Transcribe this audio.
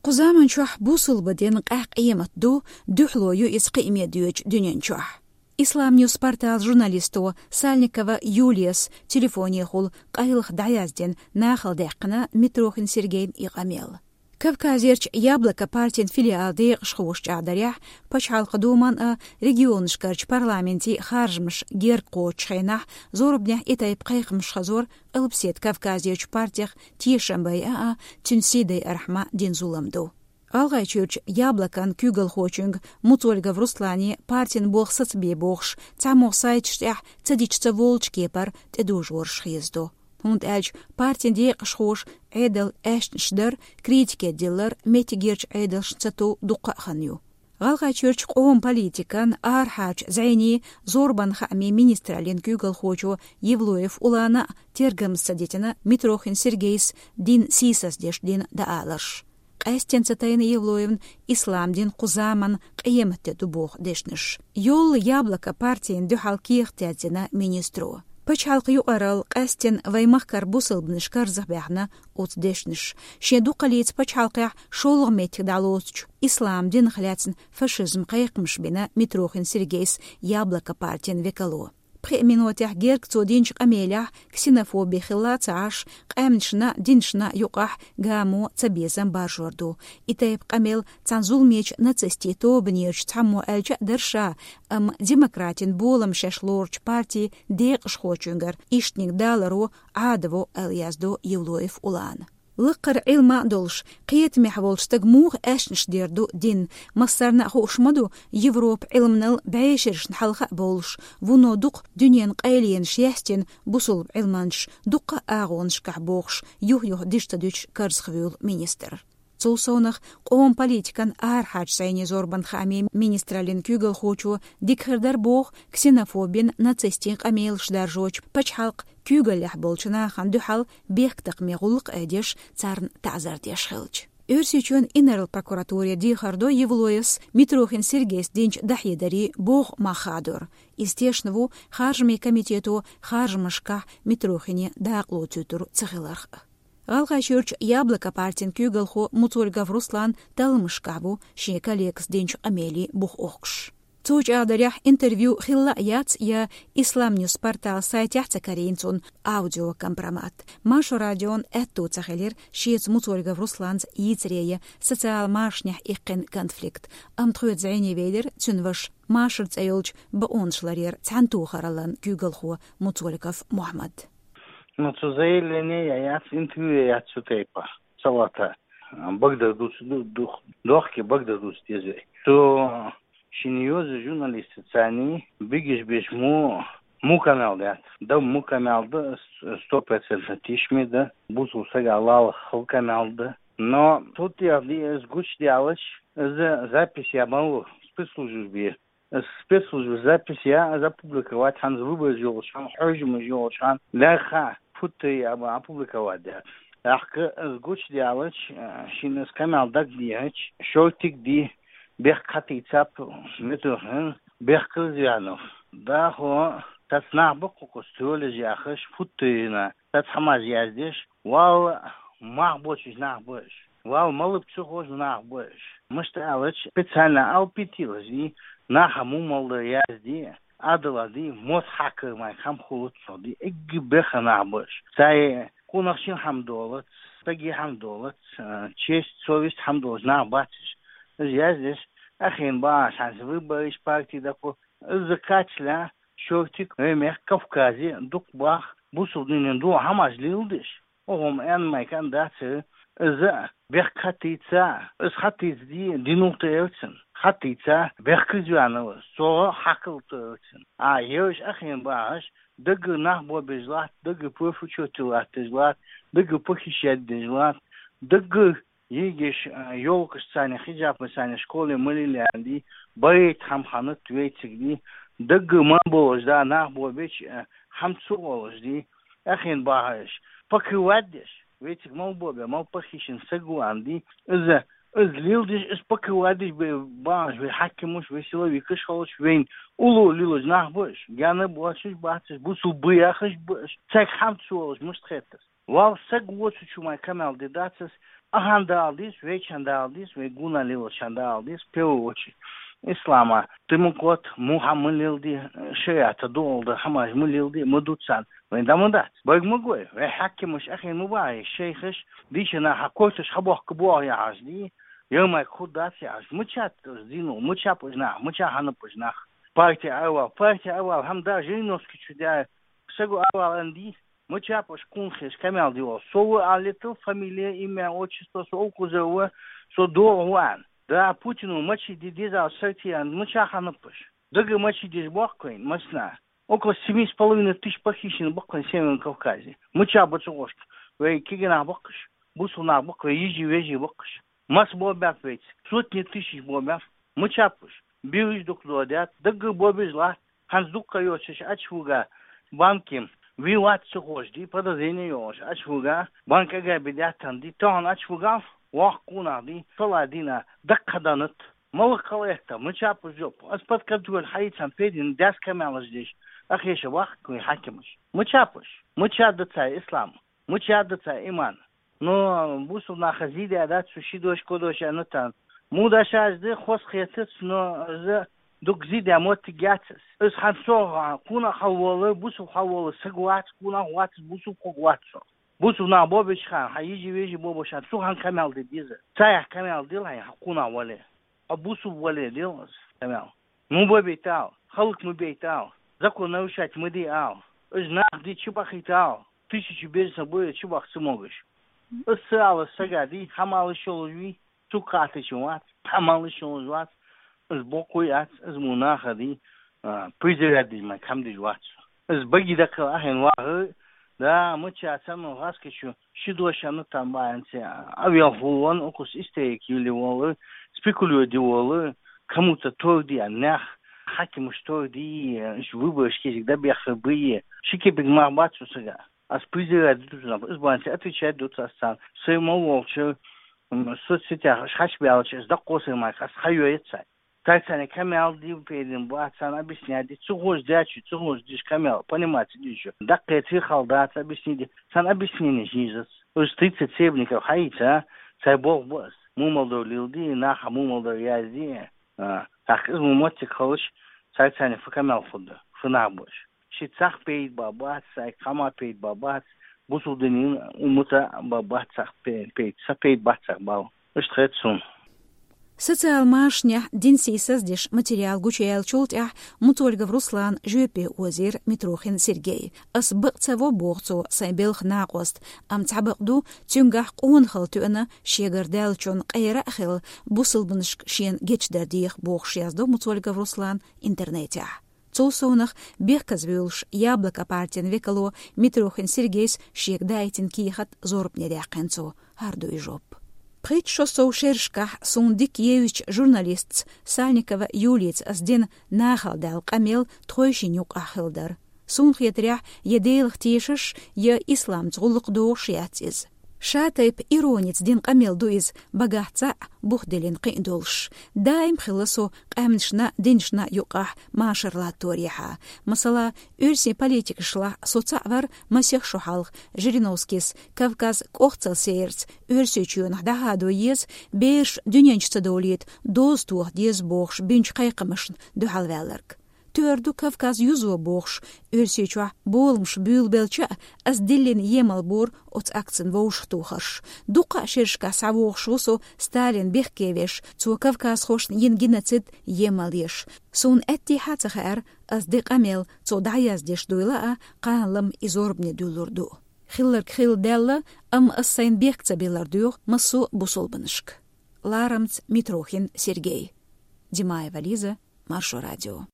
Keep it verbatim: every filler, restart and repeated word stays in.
Кху заман чохь бусулба дин къаьхьа къемат ду, дуьхьало ю иза кхиаме доьдучу дуьнен чохь. Исламньюс портал журналисто Сальникова Юлияс телефонехула къайлаха дӀаяздина нахала даьккхина Митрохин Сергейн и къамел. Кавказерчу Яблоко партин филиал декъашхоша чӀагӀдарехь, Пачхьалкхан Думан а, регионашкарчу парламентийн харжамаш герга кхочучу хенахь зорбанехь и тайпа кхайкхамаш хазор Къилбаседа Кавказерчу партех тешам байа а, цуьнан сий дайархьама дина зулам ду. ГӀалгӀайчуьрчу Яблокон куьйгалхочуьнга Муцольгов Руслане партин болх сацабе бохуш, цхьаммо сайташ тӀехь ца дича ца волучу кепара тӀедожораш хезадо. ХӀунда аьлча партин декъашхоша Ӏедал аьшнаш дар, критике диллар меттигерчу Ӏедалшна ца тов дуккха а хан ю. ГӀалгӀайчуьрчу къоман политикан арахьарчу зӀенийн зорбан хаамийн министраллин куьйгалхочо Евлоев Улана а тергамза ца дитина Митрохин Сергейс дин сийсаздеш дина дааларш. Къаьстина ца тайна Евлоевна ислам дин кху заман къематде ду боху дешнаш. Йолла Яблоко партина дуьхьал кехат яздина министро. Пачхьалкхан юкъаралла къаьстина вайн махкара бусалбанаш карзахбаьхна оцу дешнаш. Шен дукхаллица пачхьалкхехь шолгӀа меттиг дӀалоцучу ислам динах лаьцна фашизм кхайкхамаш бина Митрохин Сергейс Яблоко партин векало. Пхи минотехь герга цо динчу къамелехь ксенофоби хилла ца Ӏаш, къаьмнашна, динашна юкъахь гамо цабезам баржор ду. И тайпа къамел цхьана зуламечу нацистийн тобанерчу цхьаммо аьлча а дара ша, амма демократин болам шаьш лоручу партин декъашхочуьнгара иштаниг даларо Ӏадо аьлла яздо Евлоев Улана. Лакхара Ӏилма а долуш, кхетамехь волчу стага муха аьшнаш дер ду дин? Массарна а хууш ма ду, Европа Ӏилманал бӀешерашна хьалха а бовлуш, вуно дукха дуьненан къайленаш яьстина бусулба Ӏилманчаш дуккха а агӀонашкахь бохуш, юх-юха дижа ца дуьтуш карзахвуьйлу министр. Цул совнах, къоман политикан арахьарчу зӀенийн зорбан хаамийн министраллин куьйгалхочо дика хир дара боху ксенофобин, нацистийн къамелаш даржочу пачхьалкхан куьйгаллехь болчу нахана дуьхьал бехктакхаме гӀуллакх а деш, царна таӀзар деш хилча. Оьрсийчоьнан инарла прокуратуре дехар до Евлоевс Митрохин Сергейс динчу дахьедарийн боху мах хадор. Иза тешна ву Харжамийн комитето харжамашкахь Митрохине дакъа лоцуьйтур ца хиларх а. ГӀалгӀайчуьрчу Яблоко партин куьйгалхо Муцольгов Руслан талламашкахь ву шен коллегас динчу къамелин бух охкуш. Цо чӀагӀдарехь, интервью хилла а яц я Исламньюс портал сайтехь а ца карийна цунна аудиокомпромат. Маршо радион аьтто ца хилира шеца Муцольгов Русланца йийцаре я социал машанехь иккхина конфликт. Амма тхоьца зӀене велира цуьнан ваша, Машар цӀе йолчу бакъонаш ларъяран цхьаьнатохараллан куьйгалхо Муцольгов Мухьаммад. Ну, цу заявление яц, интервью яц цу тайпа. Салата. Багдар дуц, ду-, дух-, дохке багдар дуц деза. Цу шина йоза журналистацани бигиш беш му, му канал дац. Да му канал да, с-, сто процентов тишми да. Бусул сага лала хал канал да. Но тут я ди эс гуч диалач, за запись я мало спецслужбе. Спецслужба запись я опубликовать хан, выбор йолуш хан, хьожамаш йолуш хан, лаьха футта я опубликовать да. Ахка гуч диалач, шина скамал даг диач, шортик ди, бех катицап, метрохин, бех кырзянов. Да хо, тас нах баккукус тёле яхаш, футта йина, тас хамаз яздеш, вал мах бочуш нах бош. Вал малып цу хож нах бош. Мышта алач, специально алпитилаш ди, наха мумалда язди, адала ди, мос хакы май хам хулут ди, эгги беха нах бош. Сай кунах шин хам долат, саги хам долат, честь, совесть хам долат нах бачиш. Из яздеш, ахин ба шанс выбориш партии даку, из закачля, шортик, мех Кавказе, дук бах, бусул динин ду хамаш лилдиш. Огъом эн май кан дац, иза бех катица, из хатиц ди, динул тевцин, хатица, бех кызвянова, со хакыл тевцин. А евш ахин баш, дагы нах бобеж лат, дагы пыфучоти лат, дагы похищать деж лат, дагы йигиш, ёлкаш цани, хиджапы цани, школе мылилянди, баит хам ханат вейцигди, дагы ман болуш да, нах бобеч, хам цу болуш ди, Ахин багьаш, пакываддеш, вециг мал бобе, мал пахишин сагуанди, из, из лилдиш, из пакываддеш бе багьаш, ве хакимуш, ве силовикаш халуш, вейн улу лилуш нах буш, гяна буашиш бациш, бусу буяхаш буш, цег хам цуолуш мушт хеттас. Вал саг вочу чумай камал де дацас, Ахьан Дала дийс, вайчан Дала дийс, вай гуна лелачан Дала дийс, в первую очередь. Ислама, тимукот, муха ма лелди, шариата дуалда, хӀамаш ма лелди, ма дуцан. Вай да ма дац. Байг ма гой, вай хьакимаш ахин ма бай, шейхаш, дийша наха койташ хабохка боагӀа яхаш ди, ямай худдац яхаш. Мачат зину, мачап уж нах, мача ханап уж нах. Партия авал, партия авал, хӀам да Жириновский чу да, сагу авал анди, мачапаш кунхеш камял дивал. Совы алитыл фамилия, имя, отчество, со укузова, со доруан. Да, Путину мачи ди дизал сартиян, мача ханапаш. Дага мачи диж боккоин, масна. Около семи с половиной тысяч похищено боккоин в Северном Кавказе. Мача бацугошка. Вай кигина боккаш, бусуна бок, вай ижи вежи боккаш. Мас бобяф вейц. Сотни тысяч бобяф. Мачапаш. Бириш дук додят. Дага бобиш ла. Ханз дукка йочаш ачвуга банки виват сухожди, подозрение йош ачвуга, банк ага бедятанди, тон ачвуга, вах кунагди, саладина, даккаданат, малакал эхта, мачапу жоп, аспат контроль хайцан педин, дяс камялаш деш, ахеша вах куй хакимаш. Мачапуш, мача да цай ислам, мача да цай иман. Но бусул наха зидя да цу шидош кодош анатан. Мудашаш да хос хетец, но за дук зидя мотти гяцес. Из хан со куна халволы, бусул халволы сагвац, куна вац, бусул когвац со. Бусул на бобич хан, ха ижи вежи бобошан, су хан камял де диза. Цаях камял дил хай, ха куна вале. А бусул вале дил камял. Му бобитал, халк му бейтал, закон нарушать му ди ал. Из нах ди чубахитал, тысячи берса буя чубах сумогыш. Из сала сага ди, хамалы шолужви, цукаты чуват, хамалы шолужват, из бокуй ац, из мунаха ди, а, призывать ди май кам ди жват. Из баги дакал ахин вагы, да, мыча цану гаскачу, шидошану там баянце, а, авиал хулван, окус истеек юли волы, спекулюет ди волы, кому-то торди, а нах, хакимуш торди, э, ш-, выборы шкезик да бяхы бые. Шике биг мах бацу сага. Ас призывать ди тузна, из баянце отвечать дут асан. Сыма волчы, м, соцсетях, шхач бялчы, из да косы мак, ас хайоет сай. Тайцане камял ди пейдин, ба, сан объяснять ди, цугуш дячу, цугуш диш камял, понимать ди шу. Да кэци халдац объяснить ди, сан объяснение жижец. Уж тридцать себников хайца, цай бог бос. Мумалдор лилди, наха мумалдор язди. А, так из мумотик халыш, цайцане фу камял фудда, фу набуш. Ши цах пейд бабац, сай кама пейд бабац, бусулдынин умута бабац цах пейд, пейд, са пейд бац цах бал. Иштхэт сун. Социал машня дин сисаз деш материал гучаял чултях Мутольгов Руслан, жопе озер Митрохин Сергей. Ас бакъ цаво бохцо сай белх накъост, ам цабакъ ду, цюнгах къон хал тюана, шегар дал чон къера хил, бусулбншк шен гечдар дих бохш яздо Мутольгов Руслан интернетях. Цул совнах бехказ вюлш Яблоко партин векало Митрохин Сергейс шег дайтин кихат зорб неряхенцо. Гьардуй жоп. Пхит шо сов шершкахь сун дик евич журналистц Сальникова Юлиц ас дин нахал дал къамел тхойшин юкъахь хилдар. Сун хетряхь я делах тешаш, я исламц гъуллукъ догъуш яц из. Ша тайп ирониц дин къамел ду из, багахь цаъ бух делин къиъ долш. Даим хилла со къаьмнашна, диншна юкъахь машар латтор яхьа. Масала, оьрсийн политикашла со цаъ вар масех шо хьалха Жириновскийс Кавказ кӀохцал серц, оьрсийчоьнах дӀахьадо еза, берш дуьненчу ца довлийта, доз тоха деза бохуш бинчу кхайкхамашна дуьхьалваьлларг. Тоьар ду Кавказ юзо бохуш, оьрсийчохь боламаш буьйлабелча а, ас диллина емал бора оцу акцин вовшахтохарш. Дуккха а шерашкахь схьавогӀуш ву со Сталин бехке веш, цо кавказхошна йина геноцид емал еш. Суна аьттехьа а ца хаьара, ас де къамел цо дӀаяздеш дуйла а, кхана-лама и зорбане дуьллур ду. Хилларг хилла даьлла, амма ас сайна бехк ца биллар доьху массо а бусулбанашка. Ларамца Митрохин Сергей. Димаева Лиза, Маршо радио.